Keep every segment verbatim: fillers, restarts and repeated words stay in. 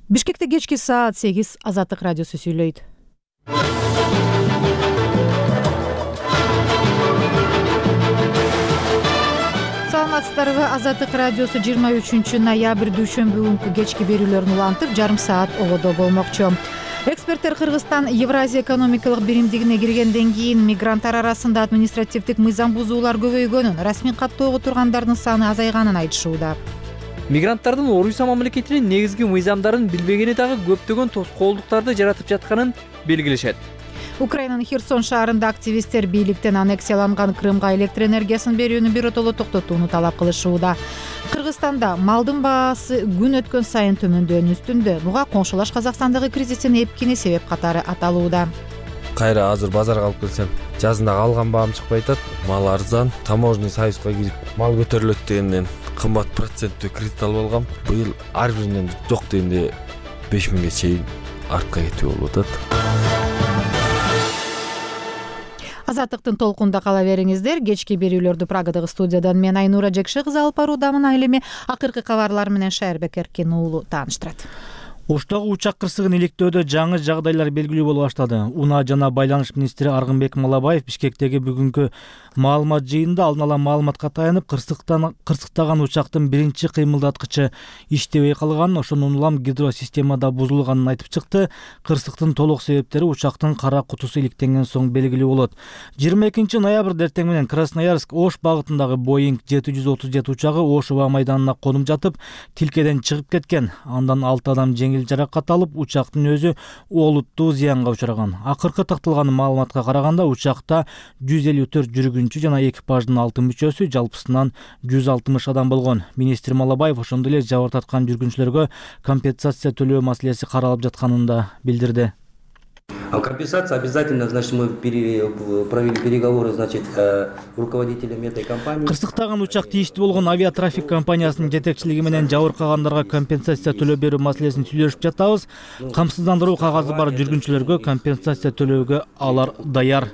Бишкекте кечки саат сегиз Азаттык радиосу сүйлөйт. Саламатсыздарбы? Азаттык радиосу жыйырма үчүнчү ноябрь дүйшөмбү күнкү кечки берүүлөрүн улантып, жарым саат ободо болмокчу. Эксперттер Кыргызстан Евразия экономикалык биримдигине киргенден кийин мигранттар арасында административдик мыйзам бузуулар көбөйгөнүн, расмий каттоого тургандардын саны азайганын айтышууда. Мигранттардын Орусия мамлекетинин негизги мыйзамдарын билбегени дагы көптөгөн тоскоолдуктарды жаратып жатканын белгилешет. Украинанын Херсон шаарында активисттер бийликтен аннексияланган Крымга электр энергиясын берүүнү биротоло токтотууну талап кылышууда. Кыргызстанда малдын баасы күн өткөн сайын төмөндөөнүн үстүндө. Буга коңшулаш Казакстандагы кризистин эпкини себеп катары аталууда. Кайра азыр базарга алып келсем, жазында алган баам чыкпай атат. Мал арзан, таможенный союзга кирип, мал көтөрүлөт дегенден кымбат проценттүү кредит алып алгам. Быйыл ар биринен жок дегенде беш миңге чейин артка кетүү болуп атат. Азаттыктын толкунда кала бериңиздер. Кечки берүүлөрдү Прагадагы студиядан мен Айнура Жекше кызы алып баруудамын. Али эми акыркы кабарлар менен Шайырбек Эркин уулу тааныштырат. Оштогу учак кырсыгын иликтөөдө жаңы жагдайлар белгилүү болуп баштады. Унаа жана байланыш министри Аргынбек Малабаев Бишкектеги бүгүнкү маалымат жыйынында алдын ала маалыматка таянып, кырсыктан кырсыктаган учактын биринчи кыймылдаткычы иштебей калганын, ошондон улам гидросистемада бузулганын айтып чыкты. Кырсыктын толук себептери учактын кара кутусу иликтенген соң белгилүү болот. жыйырма экинчи ноябрь эртең менен Красноярск Ош багытындагы Боинг жети жүз отуз жети учагы Ош аба майданына конуп жатып, тилкеден чыгып кеткен. Андан алты адам жеңил жаракат алып, учактын өзү олуттуу зыянга учураган. Акыркы такталган маалыматка караганда, учакта жүз элүү төрт жүргүнчү жана экипаждын алты мүчөсү, жалпысынан жүз алтымыш адам болгон. Министр Малабаев ошондой эле жабыр тарткан жүргүнчүлөргө компенсация төлөө маселеси каралып жатканын да билдирди. А компенсация обязательно, значит, мы провели переговоры, значит, руководителями этой компании. Кырсыктаган учак тийиштүү болгон авиатрафик компаниясынын жетекчилиги менен жабыркагандарга компенсация төлөп берүү маселесин сүйлөшүп жатабыз. Камсыздандыруу кагазы бар жүргүнчүлөргө компенсация төлөөгө алар даяр.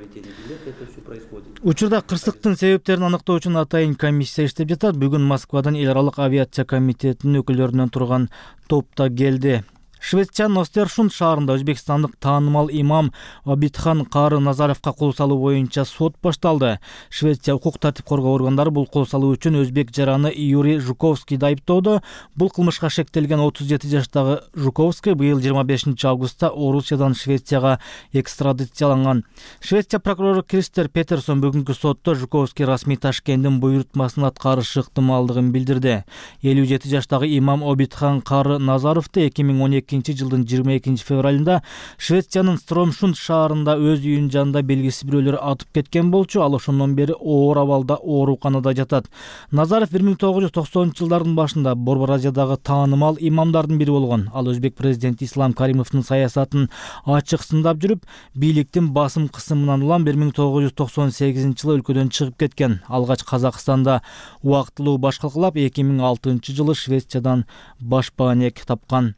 Учурда кырсыктын себептерин аныктоо үчүн атайын комиссия иштеп жатат. Бүгүн Москвадан эл аралык авиация комитетинин өкүлдөрүнөн турган топ да келди. Швециянын Остершунд шаарында өзбекстандык таанымал имам Обидхан Кары Назаровго кол салуу боюнча сот башталды. Швеция укук тартип коргоо органдары бул кол салуу үчүн өзбек жараны Юрий Жуковскийди айыптоодо. Бул кылмышка шектелген отуз жети жаштагы Жуковский быйыл жыйырма бешинчи августта Орусиядан Швецияга экстрадицияланган. Швеция прокурору Кристер Петерсон бүгүнкү сотто Жуковский расмий Ташкенттин буйрутмасын аткарышы ыктымалдыгын билдирди. элүү жети жаштагы имам Обидхан Кары Назаровду эки миң он эки жылдын жыйырма экинчи февралында Швециянын Стромшунд шаарында өз үйүнүн жанында белгисиз бирөөлөр атып кеткен болчу. Ал ошондон бери оор абалда ооруканада жатат. Назаров бир миң тогуз жүз токсонунчу жылдардын башында Борбор Азиядагы таанымал имамдардын бири болгон. Ал өзбек президенти Ислам Каримовдун саясатын ачык сындап жүрүп, бийликтин басым кысымынан улам бир миң тогуз жүз токсон сегизинчи жылы өлкөдөн чыгып кеткен. Алгач Казакстанда убактылуу баш калкалап, эки миң алтынчы жылы Швециядан баш баанек тапкан.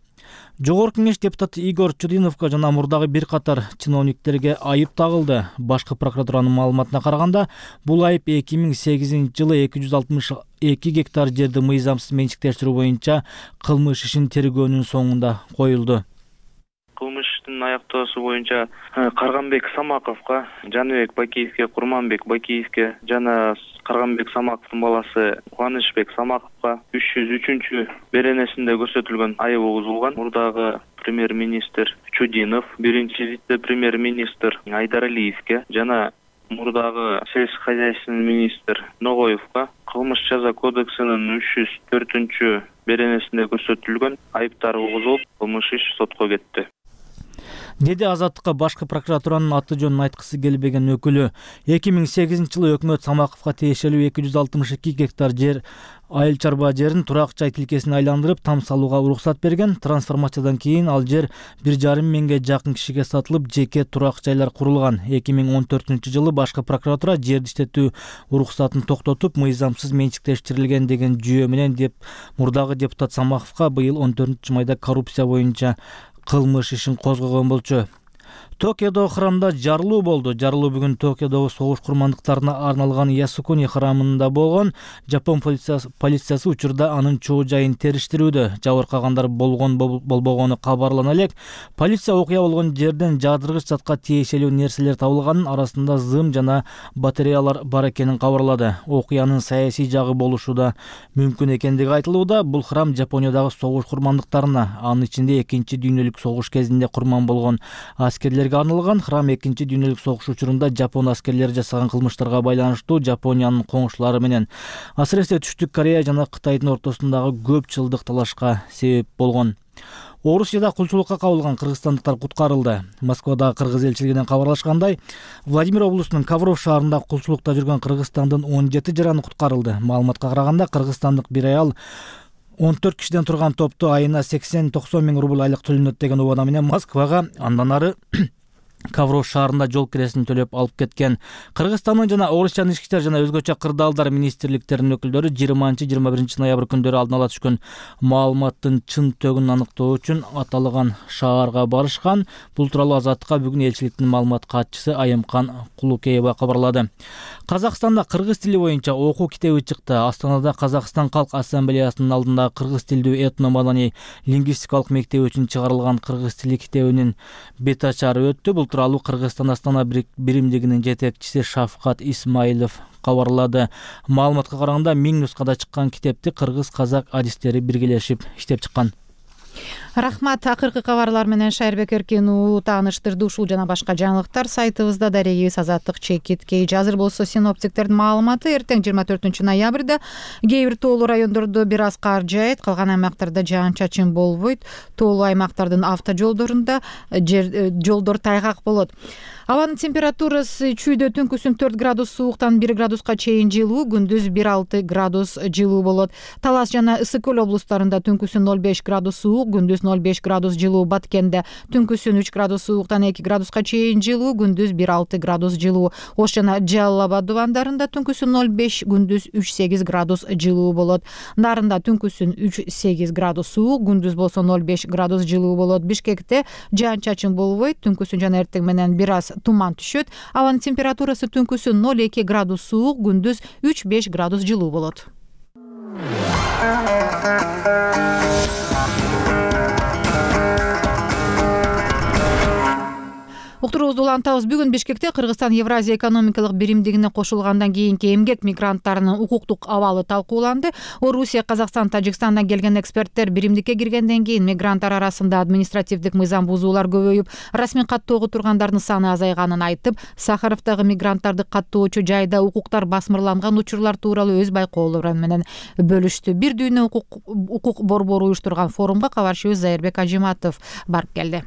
Жогорку кеңеш депутаты Игорь Чудиновго жана мурдагы бир катар чиновниктерге айып тагылды. Башкы прокуратуранын маалыматына караганда, бул айып эки миң сегизинчи жылы эки жүз алтымыш эки гектар жерди мыйзамсыз менчиктештирүү боюнча кылмыш ишин тергөөнүн соңунда коюлду. Кылмыштын аяктоосу боюнча Карганбек Самаковго, Жаныбек Бакиевге, Курманбек Бакиевге жана Карганбек Самаковдун баласы Кубанычбек Самаковго үч жүз үчүнчү беренесинде көрсөтүлгөн айып угузулган. Мурдагы премьер-министр Чудинов, биринчи вице-премьер-министр Айдаралиевге жана мурдагы сельскохозяйственный министр Ногоевго кылмыш жаза кодексинин үч жүз төртүнчү беренесинде көрсөтүлгөн айыптар угузулуп, кылмыш иш сотко кетти. Деди Азаттыкка башкы прокуратуранын аты жөнүн айткысы келбеген өкүлү. эки миң сегизинчи жылы өкмөт Самаковго тиешелүү эки жүз алтымыш эки гектар жер айыл чарба жерин турак жай тилкесине айландырып там салууга уруксат берген. Трансформациядан кийин ал жер бир жарым миңге жакын кишиге сатылып, жеке турак жайлар курулган. эки миң он төртүнчү жылы башкы прокуратура жерди иштетүү уруксатын токтотуп, мыйзамсыз менчиктештирилген деген жүйө менен деп мурдагы депутат Самаковго быйыл он төртүнчү майда коррупция боюнча кылмыш ишин козгогон болчу. Токиодо храмда жарылуу болду. Жарылуу бүгүн Токиодогу согуш курмандыктарына арналган Ясукуни храмында болгон. Жапон полициясы, полициясы учурда анын чоо жайын териштирүүдө. Жабыркагандар болгон болбогону кабарлана элек. Полиция окуя болгон жерден жаадыргыч затка тиешелүү нерселер табылганын, арасында зым жана батареялар бар экенин кабарлады. Окуянын саясий жагы болушу да мүмкүн экендиги айтылууда. Бул храм Жапониядагы согуш курмандыктарына, анын ичинде экинчи дүйнөлүк согуш кезинде курман болгон аскерлерге арналган. Храм экинчи дүйнөлүк согуш учурунда Жапон аскерлери жасаган кылмыштарга байланыштуу Жапониянын коңшулары менен, асыресе Түштүк Корея жана Кытайдын ортосундагы көп жылдык талашка себеп болгон. Орусияда кулчулукка кабылган кыргызстандыктар куткарылды. Москвадагы кыргыз элчилигинен кабарлашкандай, Владимир облусунун Ковров шаарында кулчулукта жүргөн Кыргызстандын он жети жараны куткарылды. Маалыматка караганда, кыргызстандык бир аял он төрт кишиден турган топту айына сексен токсон миң рубль айлык төлөнөт деген убада менен Москвага, андан ары Ковров шаарында жол киресин төлөп алып кеткен. Кыргызстандын жана Орусиянын ички иштер жана өзгөчө кырдаалдар министрликтеринин өкүлдөрү жыйырманчы жыйырма биринчи ноябрь күндөрү алдын ала түшкөн маалыматтын чын төгүн аныктоо үчүн аталган шаарга барышкан. Бул тууралуу Азаттыкка бүгүн элчиликтин маалымат катчысы Айымкан Кулукеева кабарлады. Казакстанда кыргыз тили боюнча окуу китеби чыкты. Астанада Казакстан Калк Ассамблеясынын алдында кыргыз тилдүү этно-маданий лингвистикалык мектеби үчүн чыгарылган кыргыз тили китебинин бет ачары өттү. Бул тууралуу Кыргызстан Астана биримдигинин жетекчиси Шафкат Исмаилов кабарлады. Маалыматка караганда миң нускада чыккан китепти кыргыз-казак адистери биргелешип иштеп чыккан. Рахмат. Акыркы кабарлар менен Шайырбек Эркин уу тааныштырды. Ушул жана башка жаңылыктар сайтыбызда, дарегибиз Азаттык чекит кей. Азыр болсо синоптиктердин маалыматы: эртең жыйырма төртүнчү ноябрда кээ бир тоолуу райондордо бир аз кар жаайт, калган аймактарда жаан-чачын болбойт. Тоолуу аймактардын автожолдорунда жолдор тайгак болот. Абанын температурасы чүйдө түнкүсүн төрт градус сууктан бир градуска чейин жылуу, күндүз бир алты градус жылуу болот. Талас жана Ысык көл облустарында түнкүсүн ноль беш градус суук, күндүз ноль беш градус жылуу. Баткенде түнкүсүн үч градус сууктан эки градуска чейин жылуу, күндүз бир алты градус жылуу. Ош жана Жалал Абад дубандарында түнкүсүн ноль беш, күндүз үч сегиз градус жылуу болот. Нарында түнкүсүн үч сегиз градус суук, күндүз болсо ноль беш градус жылуу болот. Бишкекте жаан-чачын болбойт, түнкүсүн жана эртең менен бир аз туман түшөт. Абанын температурасы түнкүсүн ноль эки градус суук, күндүз үч беш градус жылуу болот. Уктуруубузду улантабыз. Бүгүн Бишкекте Кыргызстан Евразия экономикалык биримдигине кошулгандан кийинки эмгек мигранттарынын укуктук абалы талкууланды. Орусия, Казакстан, Тажикстандан келген эксперттер биримдикке киргенден кийин мигранттар арасында административдик мыйзам бузуулар көбөйүп, расмий каттоого тургандардын саны азайганын айтып, Сахаровдагы мигранттарды каттоочу жайда укуктар басмырланган учурлар тууралуу өз байкоолору менен бөлүштү. Бир дүйнө укук укук борбору уюштурган форумга кабарчыбыз Зайырбек Ажиматов барып келди.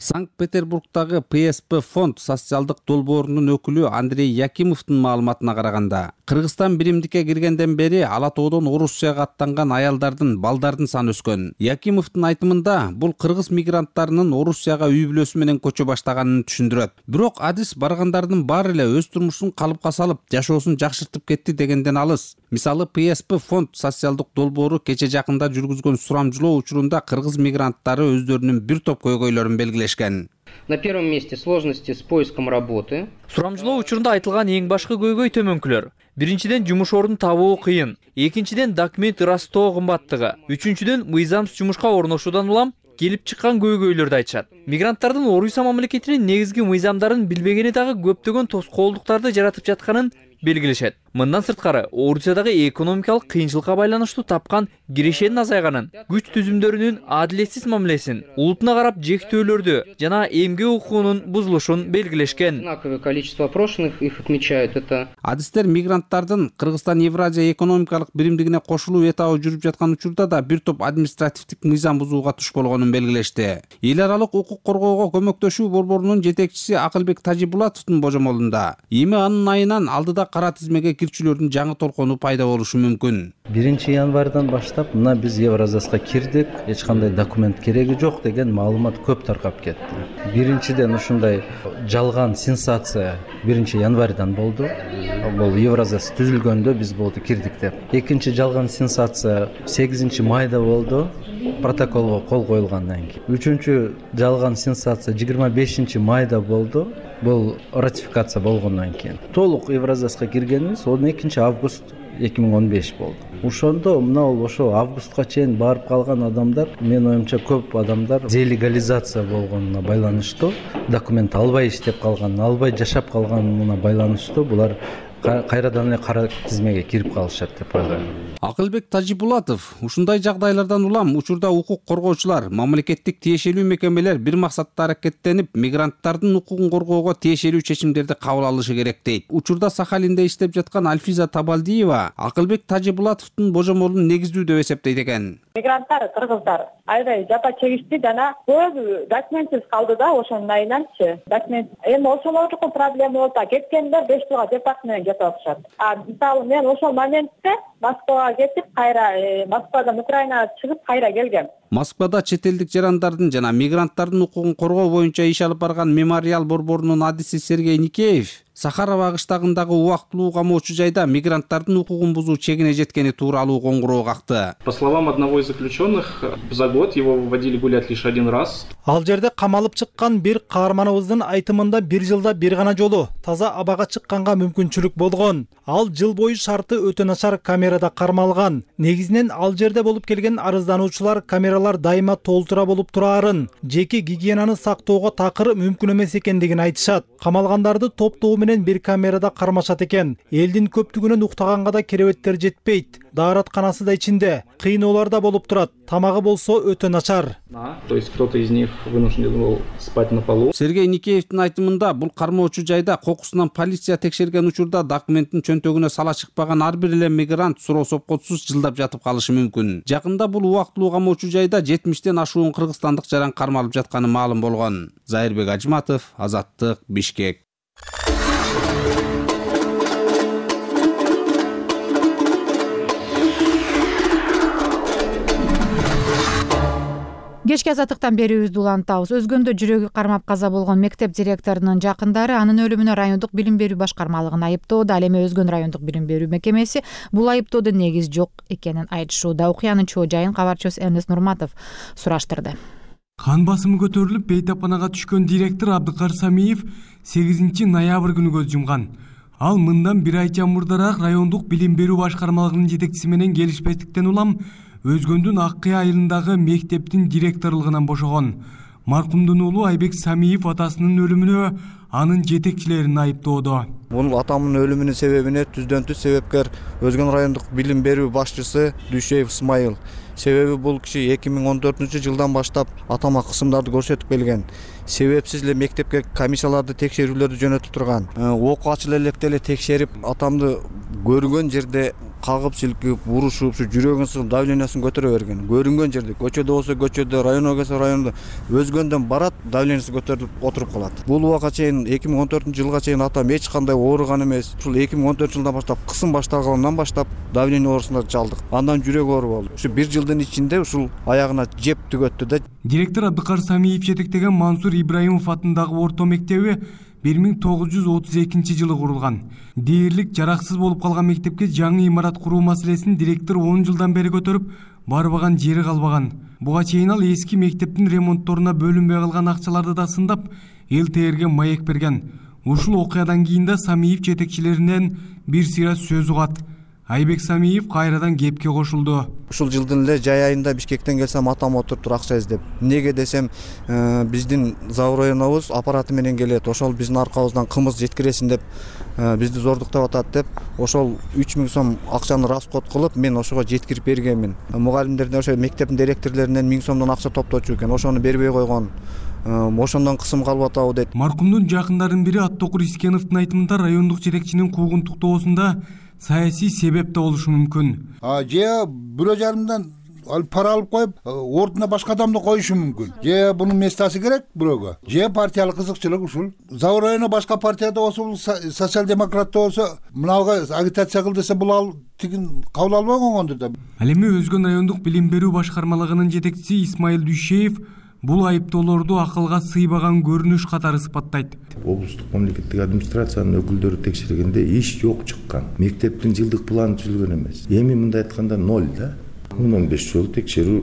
Санкт-Петербургдагы Пэ Эс Пэ фонд социалдык долбоорунун өкүлү Андрей Якимовдун маалыматына караганда, Кыргызстан биримдикке киргенден бери ала тоодон Орусияга аттанган аялдардын, балдардын саны өскөн. Якимовдун айтымында, бул кыргыз мигранттарынын Орусияга үй бүлөсү менен көчө баштаганын түшүндүрөт. Бирок адис баргандардын баары эле өз турмушун калыпка салып, жашоосун жакшыртып кетти дегенден алыс. Мисалы, Пэ Эс Пэ фонд социалдык долбоору кече жакында жүргүзгөн сурамжылоо учурунда кыргыз мигранттары өздөрүнүн бир топ көйгөйлөрүн белгилешкен. На первом месте сложности с поиском работы. Сурамжылоо учурунда айтылган эң башкы көйгөй төмөнкүлөр. Биринчиден, жумуш ордун табуу кыйын. Экинчиден, документ ырастоо кымбаттыгы. Үчүнчүдөн, мыйзамсыз жумушка орношуудан улам келип чыккан көйгөйлөрдү айтышат. Мигранттардын Орусия мамлекетинин негизги мыйзамдарын билбегени дагы көптөгөн тоскоолдуктарды жаратып жатканын белгилешет. Мындан сырткары, Орусиядагы экономикалык кыйынчылыкка байланыштуу тапкан кирешенин азайганын, күч түзүмдөрүнүн адилетсиз мамилесин, улутуна карап жектөөлөрдү жана эмгек укугунун бузулушун белгилешкен. Одинаковое количество опрошенных их отмечают это. Адистер мигранттардын Кыргызстан Евразия экономикалык биримдигине кошулуу этабы жүрүп жаткан учурда да бир топ административдик мыйзам бузууга туш болгонун белгилешти. Эл аралык укук коргоого көмөктөшүү борборунун жетекчиси Акылбек Тажибулатовдун божомолунда, эми анын айынан алдыда кара тизмеге кирчүлөрдүн жаңы толкону пайда болушу мүмкүн. биринчи январдан баштап мына биз Евразияска кирдик, эч кандай документ кереги жок деген маалымат көп таркап кетти. Биринчиден ушундай жалган сенсация биринчи январдан болду. бул Евразияс түзүлгөндө биз болду кирдик деп. Экинчи жалган сенсация сегизинчи майда болду, протоколго кол коюлгандан кийин. Үчүнчү жалган сенсация жыйырма бешинчи майда болду. Бул ратификация болгондон кийин. Толук Евразияска киргенибиз он экинчи август эки миң он беш болду. Ошондо мына ошо августка чейин барып калган адамдар, мен оюмча көп адамдар делегализация болгонуна байланыштуу, документ албай иштеп калган, албай жашап калганына байланыштуу булар кайрадан эле кара тизмеге кирип калышат деп ойлойм. Акылбек Тажибулатов ушундай жагдайлардан улам учурда укук коргоочулар, мамлекеттик тиешелүү мекемелер бир максатта аракеттенип, мигранттардын укугун коргоого тиешелүү чечимдерди кабыл алышы керек дейт. Учурда Сахалинде иштеп жаткан Альфиза Табалдиева Акылбек Тажибулатовдун божомолун негиздүү деп эсептейт экен. Мигранттар, кыргыздар аябай жапа чегишти жана көбү документсиз калды да, ошонун айынан,чы документ эми ошолордуку проблема болуп кеткендер беш жылга департ менен жатып атышат. А мисалы мен ошол моментте Москвага кетип, кайра Москвадан Украинага чыгып кайра келгем. Москвада чет элдик жарандардын жана мигранттардын укугун коргоо боюнча иш алып барган Мемориал борборунун адиси Сергей Никеев Сахарова кыштагындагы убактылуу камоочу жайда мигранттардын укугун бузуу чегине жеткени тууралуу коңгуроо какты. По словам одного из заключенных, за год его выводили гулять лишь один раз. Ал жерде камалып чыккан бир каарманыбыздын айтымында бир жылда бир гана жолу таза абага чыкканга мүмкүнчүлүк болгон. Ал жыл бою шарты өтө начар камерада кармалган. Негизинен ал жерде болуп келген арыздануучулар камералар дайыма толтура болуп турарын, жеке гигиенаны сактоого такыр мүмкүн эмес экендигин айтышат. Камалгандарды топтоо менен бир камерада кармашат экен. Элдин көптүгүнөн уктаганга да керебеттер жетпейт. Дааратканасы да ичинде, кыйноолор да болуп турат. Тамагы болсо өтө начар. То есть кто-то из них вынужден был спать на полу. Сергей Никеевдин айтымында бул кармоочу жайда кокусунан полиция текшерген учурда документтин чөнтөгүнө сала чыкпаган ар бир эле мигрант суроо сопкотсуз жылдап жатып калышы мүмкүн. Жакында бул убактылуу камоочу жайда жетимиштен ашуун кыргызстандык жаран кармалып жатканы маалым болгон. Зайырбек Ажматов, Азаттык, Бишкек. Кечки азаттыктан берүүбүздү улантабыз. Өзгөндө жүрөгү кармап каза болгон мектеп директорунун жакындары анын өлүмүнө райондук билим берүү башкармалыгын айыптоодо. Ал эми Өзгөн райондук билим берүү мекемеси бул айыптоодо негиз жок экенин айтышууда. Окуянын чоо жайын кабарчыбыз Эмнес Нурматов сураштырды. Кан басымы көтөрүлүп, бейтапанага түшкөн директор Абдыкар Самиев сегизинчи ноябрь күнү көз жумган. Ал мындан бир айча мурдараак райондук билим берүү башкармалыгынын жетекчиси менен келишпестиктен улам Өзгөндүн Ак Кыя айылындагы мектептин директорлугунан бошогон. Маркумдун уулу Айбек Самиев атасынын өлүмүнө анын жетекчилерин айыптоодо. Бул атамдын өлүмүнүн себебине түздөн түз себепкер Өзгөн райондук билим берүү башчысы Дүйшеев Исмайыл. Себеби бул киши эки миң он төртүнчү жылдан баштап атама кысымдарды көрсөтүп келген. Себепсиз эле мектепке комиссияларды текшерүүлөрдү жөнөтүп турган. Окуу ачыла электе эле текшерип, атамды көргөн жерде кагып силкип, урушуп, ушу жүрөгүн сыгып, давлениясын көтөрө берген. Көрүнгөн жерде, көчөдө болсо көчөдө, районго келсе райондо, Өзгөндөн барат, давлениясы көтөрүлүп отуруп калат. Бул убакка чейин эки миң он төртүнчү жылга чейин атам эч кандай ооруган эмес. Ушул эки миң он төртүнчү жылдан баштап кысым башталгандан баштап давление оорусуна чалдык. Андан жүрөк оору болду. Ушу бир жылдын ичинде ушул аягына жеп түгөттү да. Директор Абдыкар Самиев жетектеген Мансур Ибраимов атындагы орто мектеби бир миң тогуз жүз отуз экинчи жылы курулган. Дээрлик жараксыз болуп калган мектепке жаңы имарат куруу маселесин директор он жылдан бери көтөрүп, барбаган жери калбаган. Буга чейин ал эски мектептин ремонтторуна бөлүнбөй калган акчаларды да сындап, эл тээрге маек берген. Ушул окуядан кийин да Самиев жетекчилеринен бир сыйра сөз угат. Айбек Самиев кайрадан кепке кошулду. Ушул жылдын эле жай айында Бишкектен келсем, атам отуруптур акча издеп. Неге десем, биздин Завур районубуз аппараты менен келет. Ошол биздин аркабыздан кымыз жеткиресин деп, бизди зордуктап атат деп, ошол үч миң сом акчаны расход кылып, мен ошого жеткирип бергенмин. Мугалимдерден, ошо мектептин директорлорунан миң сомдон акча топточу экен. Ошону бербей койгон. Ошондон кысым калып атабы дейт. Маркумдун жакындарынын бири Аттокур Искеновдун айтымында райондук жетекчинин куугунтуктоосунда саясий себеп да болушу мүмкүн. А же бирөө жарымдан пара алып коюп, ордуна башка адамды коюшу мүмкүн. Же бунун местасы керек бирөөгө. Же партиялык кызыкчылык ушул. Завур району башка партияда болсо, социал-демократта болсо, мынага агитация кыл десе, бул ал тигин кабыл албай койгондур да. Ал эми Өзгөн райондук билим берүү башкармалыгынын жетекчиси Исмайыл Дүйшеев бул айыптоолорду акылга сыйбаган көрүнүш катары сыпаттайт. Облустук мамлекеттик администрациянын өкүлдөрү текшергенде иш жок чыккан. Мектептин жылдык планы түзүлгөн эмес. Эми мындай айтканда ноль да. он беш жолу текшерүү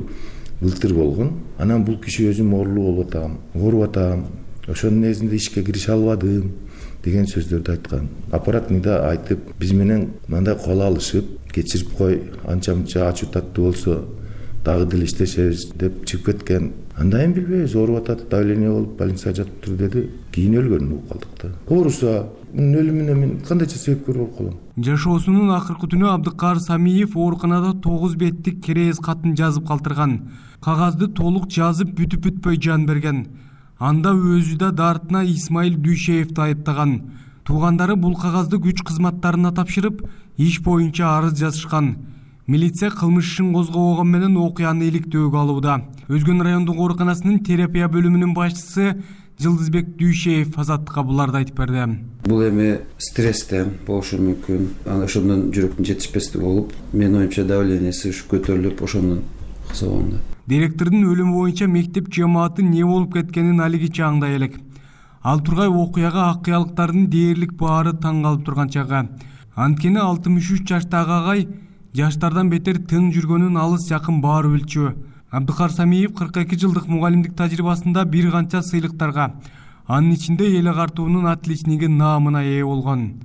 былтыр болгон. Анан бул киши өзүм оорулуу болуп атам, ооруп атам. Ошонун негизинде ишке кирише албадым деген сөздөрдү айткан. Аппаратныйда айтып, биз менен мындай кол алышып, кечирип кой, анча-мынча ачуу таттуу болсо дагы деле иштешебиз деп чыгып кеткен. Андайын билбейбиз, ооруп атат, давление болуп больницада жатыптыр деди. Кийин өлгөнүн угуп калдык да. Ооруса, мунун өлүмүнө мен кандайча себепкер болуп калам? Жашоосунун акыркы түнү Абдыкаар Самиев ооруканада тогуз беттик керез катын жазып калтырган. Кагазды толук жазып бүтүп бүтпөй жан берген. Анда өзү да дартына Исмаил Дүйшеевди айыптаган. Туугандары бул кагазды күч кызматтарына тапшырып, иш боюнча арыз жазышкан. Милиция кылмыш ишин козгобогон менен окуяны иликтөөгө алууда. Өзгөн райондук ооруканасынын терапия бөлүмүнүн башчысы Жылдызбек Дүйшеев Азаттыкка буларды айтып берди. Бул эми стресстен болушу мүмкүн. Ана ошондон жүрөктүн жетишпестиги болуп, менин оюмча давлениеси ушу көтөрүлүп, ошондон кызыганда. Директордун өлүмү боюнча мектеп жамааты не болуп кеткенин алигиче аңдай элек. Ал тургай окуяга акыялыктардын дээрлик баары таң калып турган чагы. Анткени алтымыш үч жаштагы агай жаштардан бетер тың жүргөнүн алыс жакын баары билчү. Абдыкаар Самиев кырк эки жылдык мугалимдик тажрыйбасында бир канча сыйлыктарга, анын ичинде эл агартуунун отличниги наамына ээ болгон.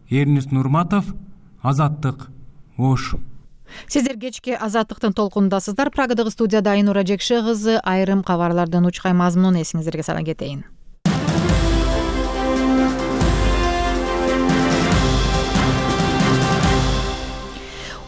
Эрнест Нурматов, Азаттык, Ош. Сиздер кечки Азаттыктын толкунундасыздар. Прагадагы студияда Айнура Жекше кызы. Айрым кабарлардын учкай мазмунун эсиңиздерге сала кетейин.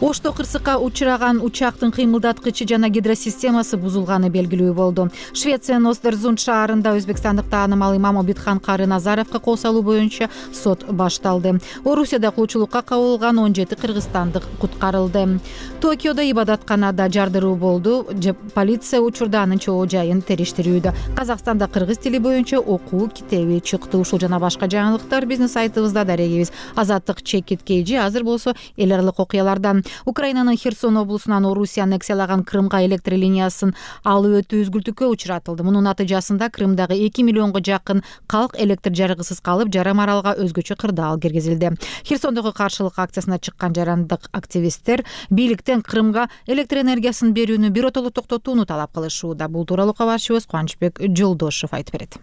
Ошто кырсыкка учураган учактын кыймылдаткычы жана гидросистемасы бузулганы белгилүү болду. Швециянын Остерзунд шаарында өзбекстандык таанымал имам Обидхан Кары Назаровго кол салуу боюнча сот башталды. Орусияда кулчулукка кабылган он жети кыргызстандык куткарылды. Токиодо ибадатканада жардыруу болду. Полиция учурда анын чоо жайын териштирүүдө. Казакстанда кыргыз тили боюнча окуу китеби чыкты. Ушул жана башка жаңылыктар биздин сайтыбызда дарегибиз. Азаттык чекит кейжи. Азыр болсо эл аралык окуялардан. Украинанын Херсон облусунан Орусия аннексиялаган Крымга электр линиясын алып өтүү үзгүлтүккө учуратылды. Мунун натыйжасында Крымдагы эки миллионго жакын калк электр жарыгысыз калып, жарым аралга өзгөчө кырдаал киргизилди. Херсондогу каршылык акциясына чыккан жарандык активисттер бийликтен Крымга электр энергиясын берүүнү биротоло токтотууну талап кылышууда. Бул тууралуу кабарчыбыз Кубанычбек Жолдошов айтып берет.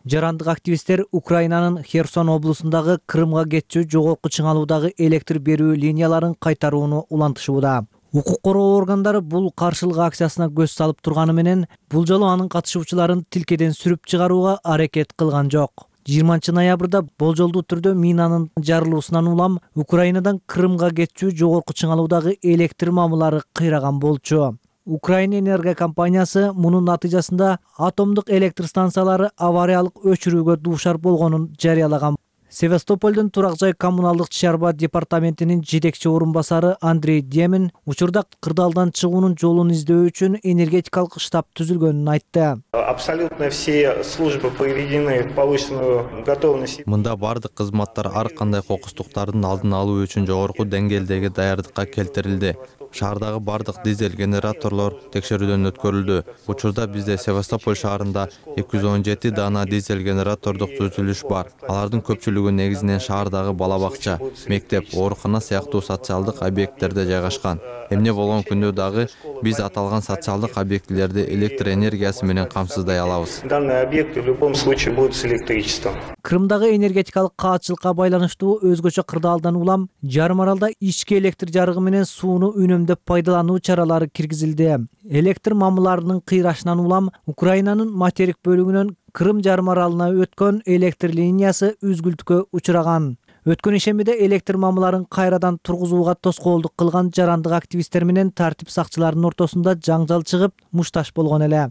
Жарандык активисттер Украинанын Херсон облусундагы Крымга кетчү жогорку чыңалуудагы электр берүү линияларын кайтарууну улантышууда. Укук коргоо органдары бул каршылык акциясына көз салып турганы менен, бул жолу анын катышуучуларын тилкеден сүрүп чыгарууга аракет кылган жок. жыйырманчы ноябрда болжолдуу түрдө минанын жарылуусунан улам Украинадан Крымга кетчү жогорку чыңалуудагы электр мамылары кыйраган болчу. Украина энергия компаниясы мунун натыйжасында атомдук электр станциялары авариялык өчүрүүгө дуушар болгонун жарыялаган. Севастополдун турак жай коммуналдык чарба департаментинин жетекчи орун басары Андрей Демин учурда кырдаалдан чыгуунун жолун издөө үчүн энергетикалык штаб түзүлгөнүн айтты. Абсолютно все службы приведены в повышенную готовность. Мында бардык кызматтар ар кандай кокустуктардын алдын алуу үчүн жогорку деңгээлдеги даярдыкка келтирилди. Шаардагы бардык дизель генераторлор текшерүүдөн өткөрүлдү. Учурда бизде Севастополь шаарында эки жүз он жети дана дизель генератордук түзүлүш бар. Алардын көпчүлүгү негизинен шаардагы бала бакча, мектеп, оорукана сыяктуу социалдык объекттерде жайгашкан. Эмне болгон күндө дагы биз аталган социалдык объектилерди электр энергиясы менен камсыздай алабыз. Данный объект в любом случае будет с электричеством. Крымдагы энергетикалык каатчылыкка байланыштуу өзгөчө кырдаалдан улам жарым аралда ички электр жарыгы менен сууну үнөмдөп пайдалануу чаралары киргизилди. Электр мамыларынын кыйрашынан улам Украинанын материк бөлүгүнөн Крым жарым аралына өткөн электр линиясы үзгүлтүккө учураган. Өткөн ишембиде электр мамыларын кайрадан тургузууга тоскоолдук кылган жарандык активисттер менен тартип сакчыларынын ортосунда жаңжал чыгып, мушташ болгон эле.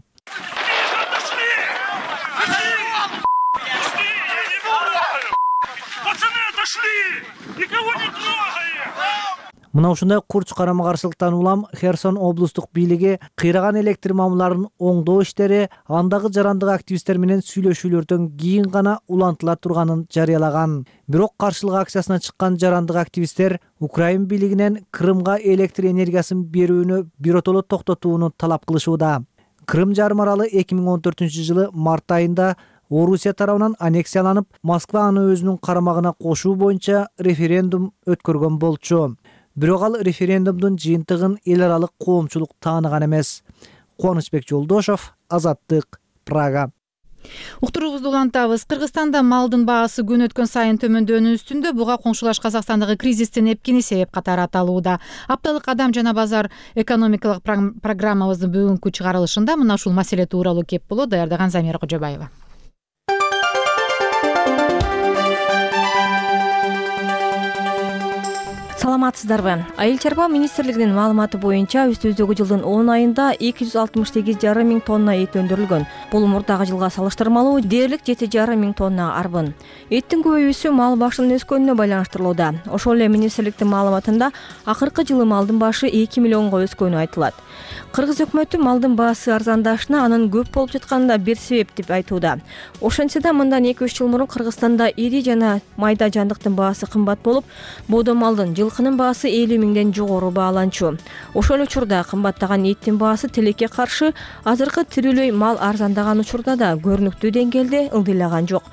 Мына ушундай курч карама-каршылыктан улам Херсон облустук бийлиги кыйраган электр мамыларын оңдоо иштери андагы жарандык активисттер менен сүйлөшүүлөрдөн кийин гана улантыла турганын жарыялаган. Бирок каршылык акциясына чыккан жарандык активисттер Украин бийлигинен Крымга электр энергиясын берүүнү биротоло токтотууну талап кылышууда. Крым жарым аралы эки миң он төртүнчү жылы март айында Орусия тарабынан аннексияланып, Москва аны өзүнүн карамагына кошуу боюнча референдум өткөргөн болчу. Бирок ал референдумдун жыйынтыгын эл аралык коомчулук тааныган эмес. Кубанычбек Жолдошов, Азаттык, Прага. Уктуруубузду улантабыз. Кыргызстанда малдын баасы күн өткөн сайын төмөндөөнүн үстүндө. Буга коңшулаш Казакстандагы кризистин эпкини себеп катары аталууда. Апталык Адам жана базар экономикалык программабыздын бүгүнкү чыгарылышында мына ушул маселе тууралуу кеп болот. Даярдаган Замира Кожобаева. Саламатсыздарбы? Айыл чарба министрлигинин маалыматы боюнча үстүбүздөгү жылдын он айында эки жүз алтымыш сегиз жарым миң тонна эт өндүрүлгөн. Бул мурдагы жылга салыштырмалуу дээрлик жети жарым миң тоннага арбын. Эттин көбөйүүсү мал башынын өскөнүнө байланыштырылууда. Ошол эле министрликтин маалыматында акыркы жылы малдын башы эки миллионго өскөнү айтылат. Кыргыз өкмөтү малдын баасы арзандашына анын көп болуп жатканына бир себеп деп айтууда. Ошентсе да мындан эки үч жыл мурун Кыргызстанда ири жана майда жандыктын баасы кымбат болуп, боодо малдын жылкынын баасы элүү миңден жогору бааланчу. Ошол учурда кымбаттаган эттин баасы тилекке каршы азыркы тирүүлөй мал арзандаган учурда да көрүнүктүү деңгээлде ылдыйлаган жок.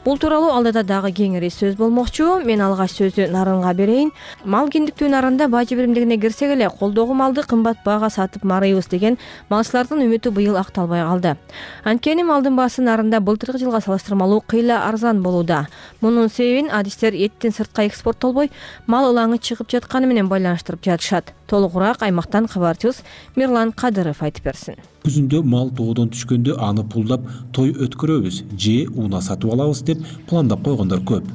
Бул тууралуу алдыда дагы кеңири сөз болмокчу. Мен алгач сөздү Нарынга берейин. Мал киндиктүү нарында бажы биримдигине кирсек эле колдогу малды кымбат баага сатып марыйбыз деген малчылардын үмүтү быйыл акталбай калды. Анткени малдын баасы нарында былтыркы жылга салыштырмалуу кыйла арзан болууда. Мунун себебин адистер эттин сыртка экспорттолбой, мал ылаңы чыгып жатканы менен байланыштырып жатышат. Толугураак аймактан кабарчыбыз Мирлан Кадыров айтып берсин. Күзүндө мал тоодон түшкөндө аны пулдап той өткөрөбүз же уна сатып алабыз деп пландап койгондор көп.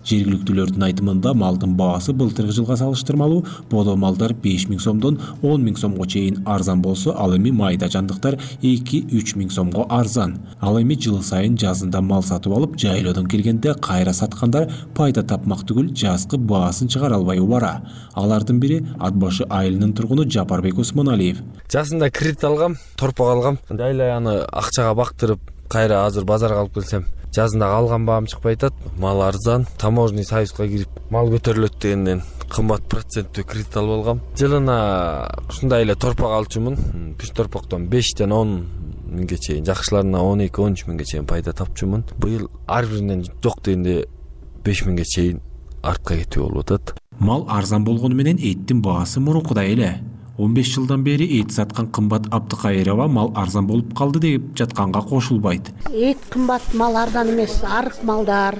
Жергиликтүүлөрдүн айтымында малдын баасы былтыркы жылга салыштырмалуу боодо малдар беш миң сомдон он миң сомго чейин арзан болсо, ал эми майда жандыктар эки үч миң сомго арзан. Ал эми жыл сайын жазында мал сатып алып, жайлоодон келгенде кайра саткандар пайда тапмак түгүл жазкы баасын чыгара албай убара. Алардын бири Ат башы айылынын тургуну Жапарбек Усманалиев. Жасында кредит алгам, торпок алгам. Жайлай аны акчага бактырып, кайра азыр базарга алып келсем, жазында алган баам чыкпай атат. Мал арзан, таможенный союзга кирип, мал көтөрүлөт дегенден кымбат проценттүү кредит алып алгам. Жылына ушундай эле торпок алчумун. Бир торпоктон бештен он миңге чейин, жакшыларына он эки он үч миңге чейин пайда тапчумун. Быйыл ар биринен жок дегенде беш миңге чейин артка кетүү болуп атат. Мал арзан болгону менен эттин баасы мурункудай эле. он беш жылдан бери эт саткан Кымбат Абдыкайырова мал арзан болуп калды деп жатканга кошулбайт. Эт кымбат, мал арзан эмес. Арык малдар,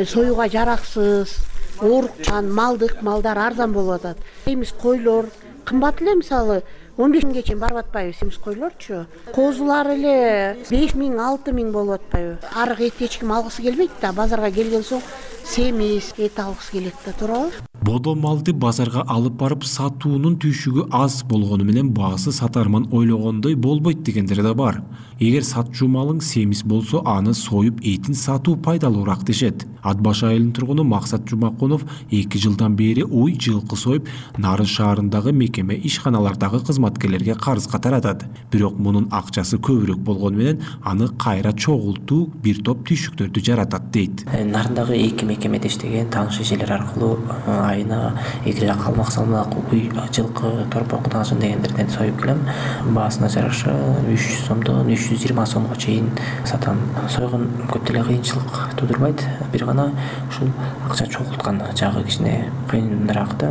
союга жараксыз, оорукчан, малдык малдар арзан болуп атат. Семиз койлор кымбат эле, мисалы он беш миңге чейин барып атпайбы семиз койлорчу. Козулар эле беш миң алты миң болуп атпайбы. Арык эт эч ким алгысы келбейт да, базарга келген соң семиз эт алгысы келет да, туурабы? Бодо малды базарга алып барып сатуунун түйшүгү аз болгону менен баасы сатарман ойлогондой болбойт дегендер да бар. Эгер сатчу малың семиз болсо, аны союп этин сатуу пайдалуураак дешет. Ат башы айылынын тургуну Максат Жумакунов эки жылдан бери уй жылкы союп, Нарын шаарындагы мекеме ишканалардагы кызматкерлерге карызга таратат. Бирок мунун акчасы көбүрөөк болгону менен аны кайра чогултуу бир топ түйшүктөрдү жаратат дейт. Нарындагы эки мекемеде иштеген тааныш эжелер аркылуу айына эки жак калмак салмак уй жылкы торпок таашын дегендерден союп келем. Баасына жараша үч жүз сомдон үч жүз жыйырма сомго чейин сатам. Сойгон көп деле кыйынчылык туудурбайт. Бир гана ушул акча чогулткан жагы кичине кыйыныраак да.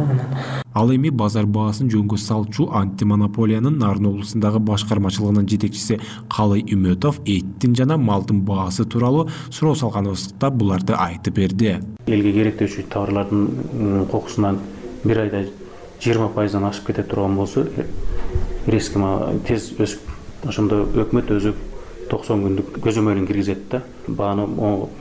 Ал эми базар баасын жөнгө салчу антимонополиянын Нарын облусундагы башкармачылыгынын жетекчиси Калый Үмөтов эттин жана малдын баасы тууралуу суроо салганыбызда буларды айтып берди. Элге керектөөчү товарлардын кокусунан бир айда жыйырма пайыздан ашып кете турган болсо, резко тез өсүп, ошондо өкмөт өзү токсон күндүк көзөмөлүн киргизет да, бааны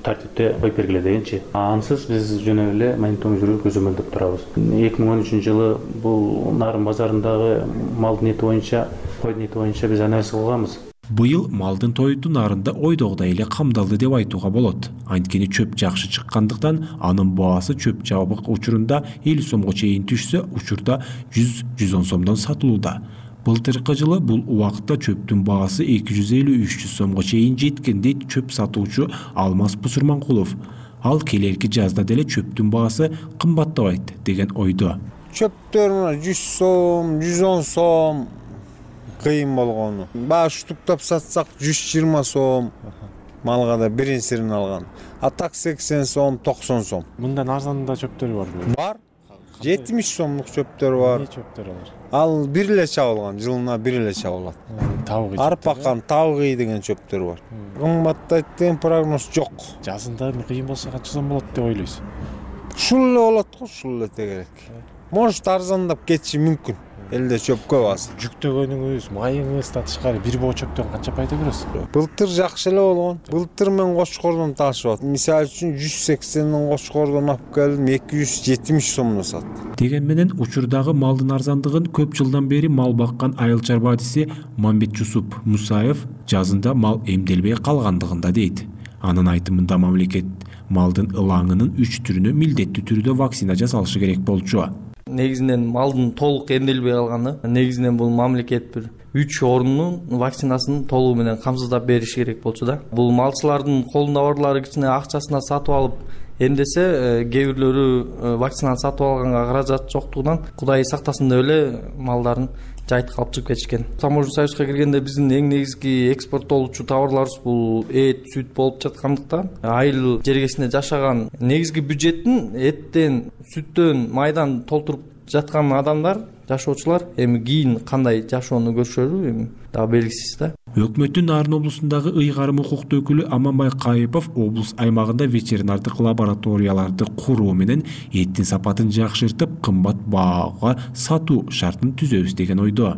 тартипте коюп бергиле дегенчи. Ансыз биз жөн эле мониторинг жүрүп көзөмөлдөп турабыз. эки миң он үчүнчү жылы бул Нарын базарындагы малдын эти боюнча, койдун эти боюнча биз анализ кылганбыз. Быйыл малдын тойту нарында ойдогудай эле камдалды деп айтууга болот. Анткени чөп жакшы чыккандыктан анын баасы чөп жабык учурунда элүү сомго чейин түшсө, учурда жүз жүз он сомдон сатылууда. Былтыркы жылы бул убакытта чөптүн баасы эки жүз элүү үч жүз сомго чейин жеткен дейт чөп сатуучу Алмаз Бусурманкулов. Ал келерки жазда деле чөптүн баасы кымбаттабайт деген ойдо. Чөптөр жүз сом, жүз он сом, кыйын болгону. Баягы штуктап сатсак жүз жыйырма сом, малга да бирин сирин алган. А так сексен сом, токсон сом. Мындан арзан да чөптөр барбы? Бар. жетимиш сомдук чөптөр бар. Эмне чөптөр алар? Ал бир эле чабылган, жылына бир эле чабылат. Табыгы. Арпакан, табыгы деген чөптөр бар. Кымбаттайт деген прогноз жок. Жазында кыйын болсо канча сом болот деп ойлойсуз? Ушул эле болот го, ушул эле тегерек. Может арзандап кетиши мүмкүн. Элде чөп көп азыр. Жүктөгөнүңүз, майыңыз да тышкары бир боо чөптөн канча пайда көрөсүз? Былтыр жакшы эле болгон. Былтыр мен Кочкордон ташып аттым. Мисалы үчүн жүз сексенден Кочкордон алып келдим, эки жүз жетимиш сомдон саттым. Деген менен учурдагы малдын арзандыгын көп жылдан бери мал баккан айыл чарба адиси Мамбет Жусуп Мусаев жазында мал эмделбей калгандыгында дейт. Анын айтымында мамлекет малдын ылаңынын үч түрүнө милдеттүү түрдө вакцина жасалышы керек болчу. Негизинен малдын толук эмделбей калганы, негизинен бул мамлекет бир үч орунун вакцинасын толугу менен камсыздап бериш керек болчу да. Бул малчылардын колунда барлары кичине акчасына сатып алып эмдесе, кээ бирлөрү вакцинаны сатып алганга каражат жоктугунан Кудай сактасын деп эле малдарын жайыт калып чыгып кетишкен. Таможня союзга киргенде биздин эң негизги экспорттолуучу товарларыбыз бул эт, сүт болуп жаткандыктан айыл жергесинде жашаган негизги бюджеттин эттен, сүттөн, майдан толтуруп жаткан адамдар, жашоочулар эми кийин кандай жашоону көрүшөрү эми дагы белгисиз да. Өкмөттүн Нарын облусундагы ыйгарым укуктуу өкүлү Аманбай Кайыпов облус аймагында ветеринардык лабораторияларды куруу менен эттин сапатын жакшыртып, кымбат баага сатуу шартын түзөбүз деген ойдо.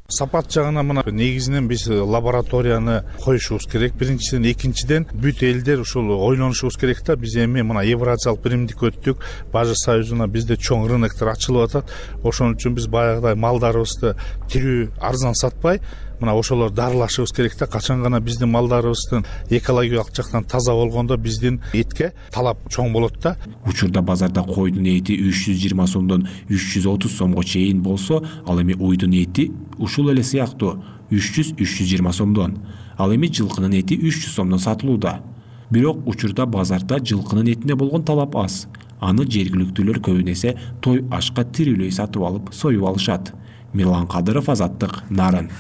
Сапат жагынан мына негизинен биз лабораторияны коюшубуз керек. Биринчиден, экинчиден бүт элдер ушул ойлонушубуз керек да. Биз эми мына Евразиялык биримдик өттүк, Бажы союзуна бизде чоң рыноктор ачылып атат. Ошон үчүн биз баягыдай малдарыбызды тирүү арзан сатпай, мына ошолор дарылашыбыз керек да. Качан гана биздин малдарыбыздын экологиялык жактан таза болгондо биздин этке талап чоң болот да. Учурда базарда койдун эти үч жүз жыйырма сомдон үч жүз отуз сомго чейин болсо, ал эми уйдун эти ушул эле сыяктуу үч жүз үч жүз жыйырма сомдон. Ал эми жылкынын эти үч жүз сомдон сатылууда. Бирок учурда базарда жылкынын этине болгон талап аз. Аны жергиликтүүлөр көбүн эсе той ашка тирүүлөй сатып алып союп алышат. Мирлан Кадыров, Азаттык, Нарын.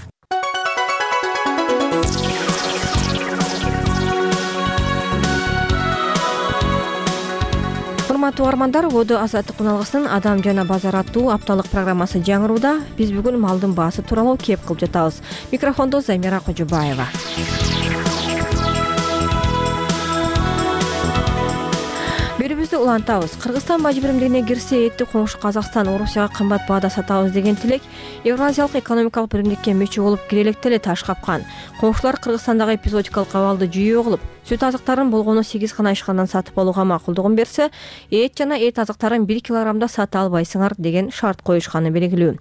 Урматтуу угармандар, Одо Азаттык уналгысынын Адам жана базар аттуу апталык программасы жаңырууда. Биз бүгүн малдын баасы тууралуу кеп кылып жатабыз. Микрофондо Замира Кожубаева. Берүүбүздү улантабыз. Кыргызстан бажы биримдигине кирсе, этти коңшу Казакстан Орусияга кымбат баада сатабыз деген тилек Евразиялык экономикалык биримдикке мүчө болуп кире электе эле таш капкан. Коңшулар Кыргызстандагы эпизодикалык абалды жүйө кылып, сүт азыктарын болгону сегиз гана ишканадан сатып алууга макулдугун берсе, эт жана эт азыктарын бир килограммда сата албайсыңар деген шарт коюшканы белгилүү.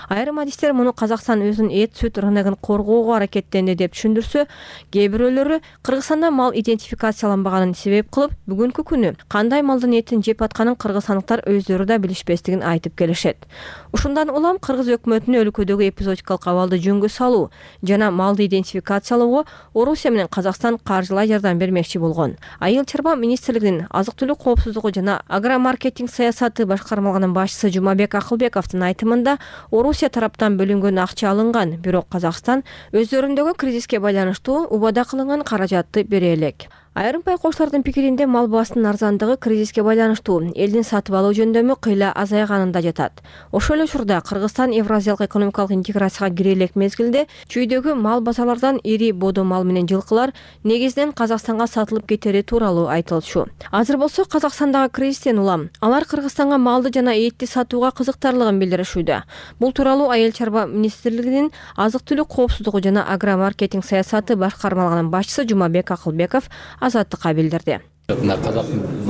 Айрым адистер муну Казакстан өзүнүн эт сүт рыногун коргоого аракеттенди деп түшүндүрсө, кээ бирөөлөрү Кыргызстанда мал идентификацияланбаганын себеп кылып, бүгүнкү күнү кандай малдын этин жеп атканын кыргызстандыктар өздөрү да билишпестигин айтып келишет. Ушундан улам кыргыз өкмөтүнүн өлкөдөгү эпизодикалык абалды жөнгө салуу жана малды идентификациялоого Орусия менен Казакстан каржылай жардам бермекчи болгон. Айыл чарба министрлигинин азык-түлүк коопсуздугу жана агромаркетинг саясаты башкармалыгынын башчысы Жумабек Акылбековдун айтымында, Орусия тараптан бөлүнгөн акча алынган, бирок Казакстан өздөрүндөгү кризиске байланыштуу убада кылынган каражатты бере элек. Айрым байкоочулардын пикиринде мал баасынын арзандыгы кризиске байланыштуу элдин сатып алуу жөндөмү кыйла азайганында жатат. Ошол эле учурда Кыргызстан Евразиялык экономикалык интеграцияга кире элек мезгилде чүйдөгү мал базарлардан ири бодо мал менен жылкылар негизинен Казакстанга сатылып кетери тууралуу айтылчу. Азыр болсо Казакстандагы кризистен улам алар Кыргызстанга малды жана этти сатууга кызыктарлыгын билдиришүүдө. Бул тууралуу Айыл чарба министрлигинин азык-түлүк коопсуздугу жана агромаркетинг саясаты башкармалыгынын башчысы Жумабек Акылбеков Азаттыкка билдирди. Мына казак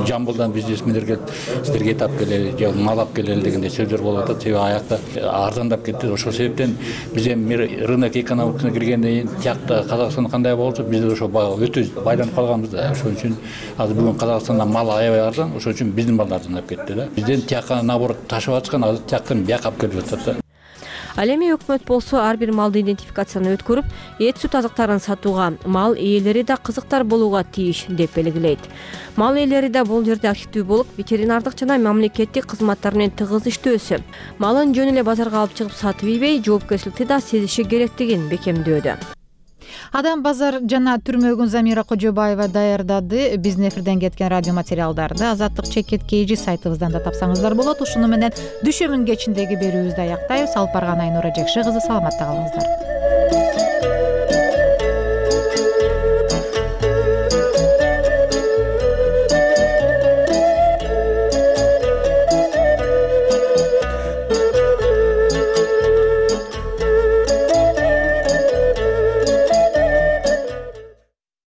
Жамбылдан бизнесмендер келип, силерге эт алып келели, же мал алып келели дегенде сөздөр болуп атат. Себеби аякта арзандап кетти. Ошол себептен биз эми рынок экономикасына киргенден кийин тиякта Казакстан кандай болчу, биз ошо өтө байланып калганбыз да. Ошон үчүн азыр бүгүн Казакстандан мал аябай арзан, ошон үчүн биздин малдар арзандап кетти да. Бизден тияка наоборот ташып атышкан, азыр тияктан бияка алып келип жатат да. Ал эми өкмөт болсо ар бир малды идентификацияны өткөрүп, эт сүт азыктарын сатууга, мал ээлери да кызыктар болууга тийиш деп белгилейт. Мал ээлери да бул жерде активдүү болуп, ветеринардык жана мамлекеттик кызматтар менен тыгыз иштөөсү, малын жөн эле базарга алып чыгып сатып ийбей, жоопкерчиликти да сезиши керектигин бекемдөөдө. Адам базар жана түрмөгүн Замира Кожобаева даярдады. Биздин эфирден кеткен радио материалдарды Азаттык чекит kg сайтыбыздан да тапсаңыздар болот. Ушуну менен Дүшөмүн кечиндеги берүүбүздү аяктайбыз. Алып барган Айнура Жекши кызы, саламатта калыңыздар.